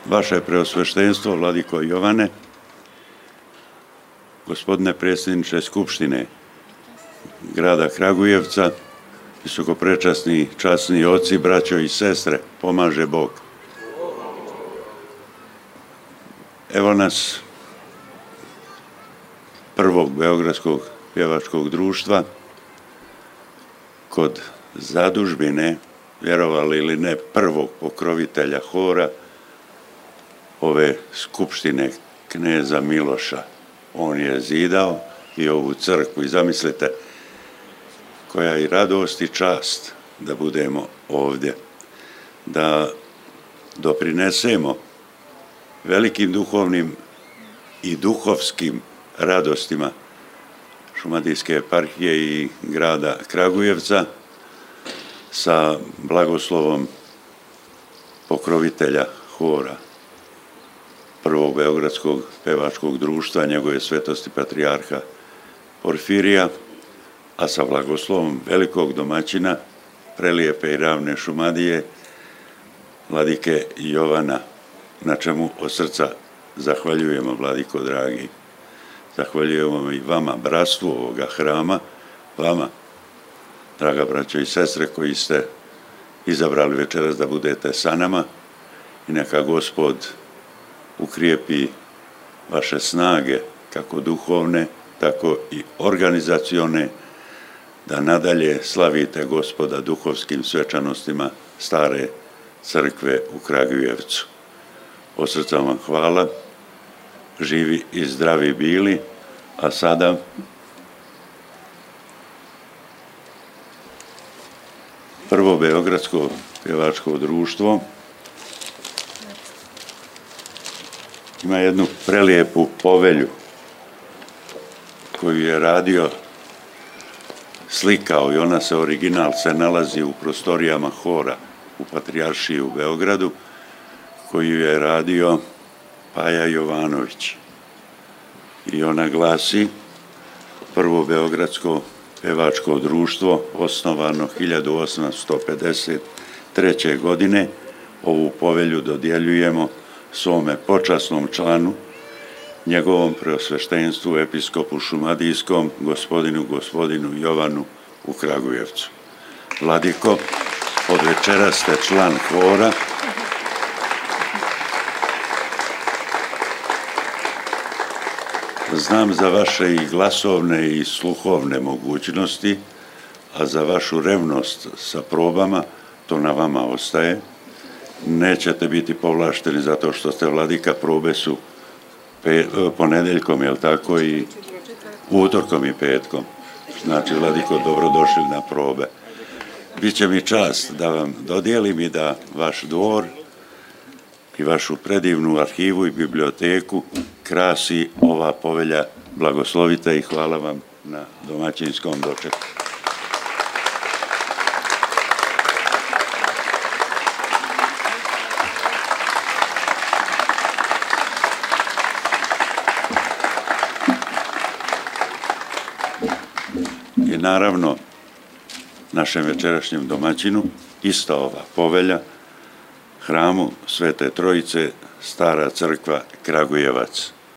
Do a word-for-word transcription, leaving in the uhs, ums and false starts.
Vaše preosveštenstvo, vladiko Jovane, gospodine predsjedniče Skupštine grada Kragujevca, visokoprečasni, časni oci, braćo i sestre, pomaže Bog. Evo nas prvog Beogradskog pjevačkog društva kod zadužbine, vjerovali ili ne, prvog pokrovitelja hora ove skupštine kneza Miloša. On je zidao i ovu crkvu i zamislite koja je radost i čast da budemo ovdje, da doprinesemo velikim duhovnim i duhovskim radostima Šumadijske eparhije i grada Kragujevca sa blagoslovom pokrovitelja hora prvog Beogradskog pevačkog društva, njegove svetosti patrijarha Porfirija, a sa blagoslovom velikog domaćina prelijepe i ravne Šumadije, vladike Jovana, na čemu od srca zahvaljujemo, vladiko dragi. Zahvaljujemo i vama, bratstvu ovoga hrama, vama, draga braćo i sestre, koji ste izabrali večeras da budete sa nama, i neka Gospod ukrijepi vaše snage, kako duhovne, tako i organizacione, da nadalje slavite Gospoda duhovskim svečanostima stare crkve u Kragujevcu. Od srca vam hvala, živi i zdravi bili, a sada prvo Beogradsko pjevačko društvo ima jednu prelijepu povelju koju je radio, slikao, i ona se, original se nalazi u prostorijama hora u Patrijaršiji u Beogradu, koju je radio Paja Jovanović. I ona glasi: prvo Beogradsko pevačko društvo, osnovano hiljadu osamsto pedeset treće. godine, ovu povelju dodjeljujemo svome počasnom članu, njegovom preosveštenstvu, episkopu šumadijskom, gospodinu gospodinu Jovanu u Kragujevcu. Vladiko, od večera ste član hora. Znam za vaše i glasovne i sluhovne mogućnosti, a za vašu revnost sa probama, to na vama ostaje. Nećete biti povlašteni zato što ste vladika, probe su pe, ponedeljkom, jel tako, i utorkom i petkom. Znači, vladiko, dobrodošli na probe. Biće mi čast da vam dodijelim i da vaš dvor i vašu predivnu arhivu i biblioteku krasi ova povelja. Blagoslovite i hvala vam na domaćinskom dočeku. I naravno, našem večerašnjem domaćinu ista ova povelja, hramu Svete Trojice, Stara crkva Kragujevac.